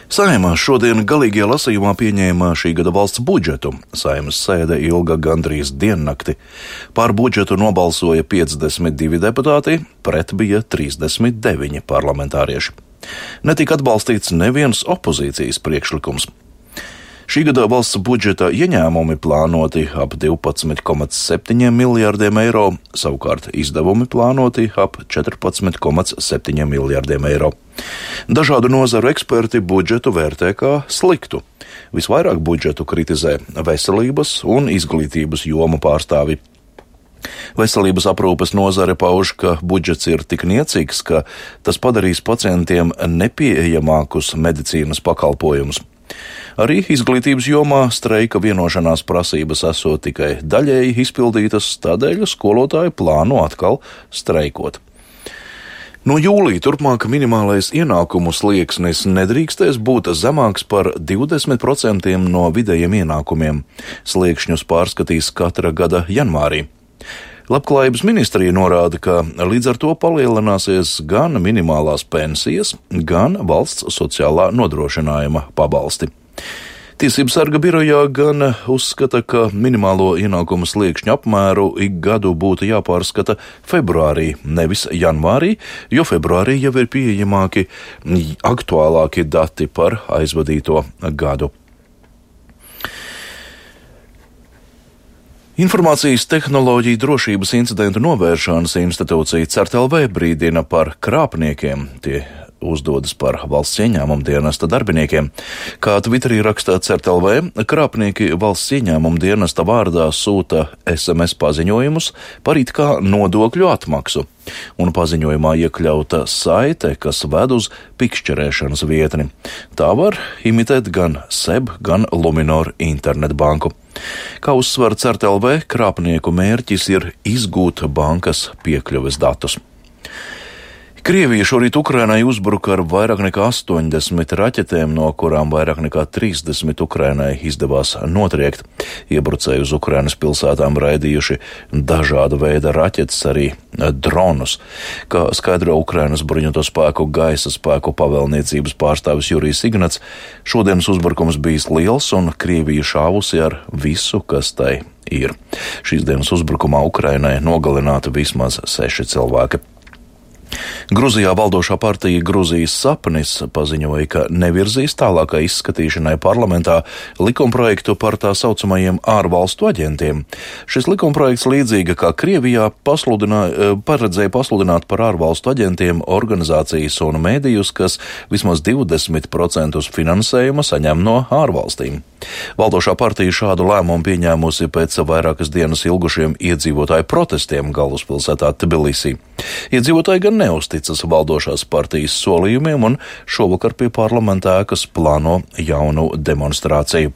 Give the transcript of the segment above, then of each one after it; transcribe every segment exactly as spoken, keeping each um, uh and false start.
Saeima šodien galīgajā lasījumā pieņēma šī gada valsts budžetu. Saeimas sēde ilga gandrīz diennakti. Par budžetu nobalsoja piecdesmit divi deputāti, pret bija trīsdesmit deviņi parlamentārieši. Netika atbalstīts neviens opozīcijas priekšlikums. Šī gada valsts budžeta ieņēmumi plānoti ap divpadsmit komats septiņi miljārdiem eiro, savukārt izdevumi plānoti ap četrpadsmit komats septiņi miljārdiem eiro. Dažādu nozaru eksperti budžetu vērtē kā sliktu. Visvairāk budžetu kritizē veselības un izglītības jomu pārstāvi. Veselības aprūpes nozare pauž, ka budžets ir tik niecīgs, ka tas padarīs pacientiem nepieejamākus medicīnas pakalpojumus. Arī izglītības jomā streika vienošanās prasības esot tikai daļēji izpildītas, tādēļ skolotāji plāno atkal streikot. No jūlija turpmāk minimālais ienākumu slieksnis nedrīkstēs būt zemāks par divdesmit procentiem no vidējiem ienākumiem. Sliekšņus pārskatīs katra gada janvārī. Labklājības ministrija norāda, ka līdz ar to palielināsies gan minimālās pensijas, gan valsts sociālā nodrošinājuma pabalsti. Tiesību sarga birojā gan uzskata, ka minimālo ienākumu sliekšņu apmēru ik gadu būtu jāpārskata februārī, nevis janvārī, jo februārī jau ir pieejamāki aktuālāki dati par aizvadīto gadu. Informācijas tehnoloģiju drošības incidentu novēršanas institūcija CERT.lv brīdina par krāpniekiem. Tie uzdodas par valsts ieņēmuma dienesta darbiniekiem. Kā Twitterī rakstā CERT.lv, krāpnieki valsts ieņēmuma dienesta vārdā sūta es em es paziņojumus par it kā nodokļu atmaksu, un paziņojumā iekļauta saite, kas ved uz pikšķerēšanas vietni. Tā var imitēt gan S E B, gan Luminor internetbanku. Kā uzsver CERT.lv, krāpnieku mērķis ir izgūt bankas piekļuves datus. Krievija šorīt Ukrainai uzbruka ar vairāk nekā astoņdesmit raķetēm, no kurām vairāk nekā trīsdesmit Ukrainai izdevās notriekt. Iebrucēji uz Ukrainas pilsētām raidījuši dažāda veida raķetes, arī dronus. Kā skaidro Ukrainas bruņoto spēku gaisa spēku pavēlniecības pārstāvis Jurijs Ignats, šodienas uzbrukums bijis liels un Krievija šāvusi ar visu, kas tai ir. Šīs dienas uzbrukumā Ukrainai nogalināti vismaz seši cilvēki. Gruzijā valdošā partija Gruzijas sapnis paziņoja, ka nevirzīs tālākai izskatīšanai parlamentā likumprojektu par tā saucamajiem ārvalstu aģentiem. Šis likumprojekts līdzīga kā Krievijā paredzēja pasludināt par ārvalstu aģentiem organizācijas un mēdījus, kas vismaz divdesmit procentus finansējuma saņem no ārvalstīm. Valdošā partija šādu lēmumu pieņēmusi pēc vairākas dienas ilgušiem iedzīvotāju protestiem galvaspilsētā Tbilisī. Iedzīvotāji gan neuzticas valdošās partijas solījumiem un šovakar pie parlamenta ēkas plāno jaunu demonstrāciju.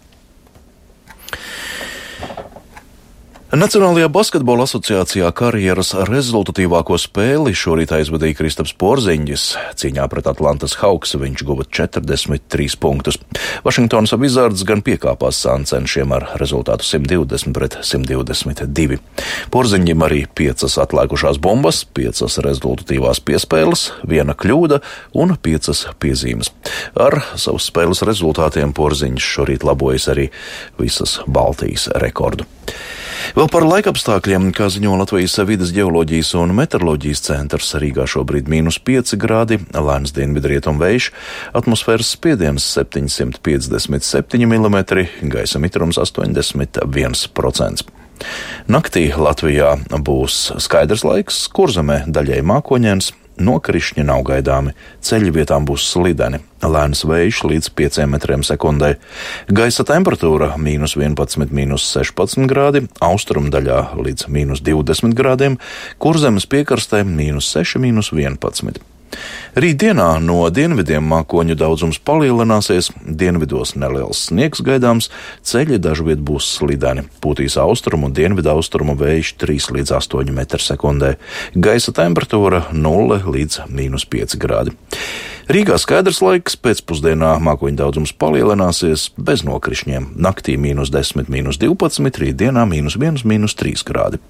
Nacionālajā basketbola asociācijā karjeras rezultatīvāko spēli šorīt aizvadīja Kristaps Porziņģis. Cīņā pret Atlantas Hawks viņš guva četrdesmit trīs punktus. Vašingtonas Wizards gan piekāpās sāncenšiem ar rezultātu simt divdesmit pret simt divdesmit divi. Porziņģim arī piecas atlēkušās bumbas, piecas rezultatīvās piespēles, viena kļūda un piecas piezīmes. Ar savus spēles rezultātiem Porziņģis šorīt labojas arī visas Baltijas rekordu. Vēl par laikapstākļiem, kā ziņo Latvijas vides ģeoloģijas un meteoroloģijas centrs, Rīgā šobrīd mīnus pieci grādi, lēns dienvidrietumu vējš, atmosfēras spiediens septiņsimt piecdesmit septiņi milimetri, gaisa mitrums astoņdesmit viens procents. Naktī Latvijā būs skaidrs laiks, Kurzemē daļai mākoņains, nokrišņi nav gaidāmi, ceļi vietām būs slideni, lēns vējš līdz pieciem metriem sekundē. Gaisa temperatūra mīnus vienpadsmit, mīnus sešpadsmit grādi, austrumu daļā līdz mīnus divdesmit grādiem, Kurzemes piekrastē mīnus seši, mīnus vienpadsmit. Rītdienā no dienvidiem mākoņu daudzums palielināsies, dienvidos neliels sniegs gaidāms, ceļi dažviet būs slideni, pūtīs austrumu un dienvidaustrumu vējš trīs līdz astoņi metri sekundē, gaisa temperatūra nulle līdz mīnus pieci grādi. Rīgā skaidrs laiks, pēcpusdienā mākoņu daudzums palielināsies bez nokrišņiem, naktī mīnus desmit, mīnus divpadsmit, rītdienā mīnus viens, mīnus trīs grādi.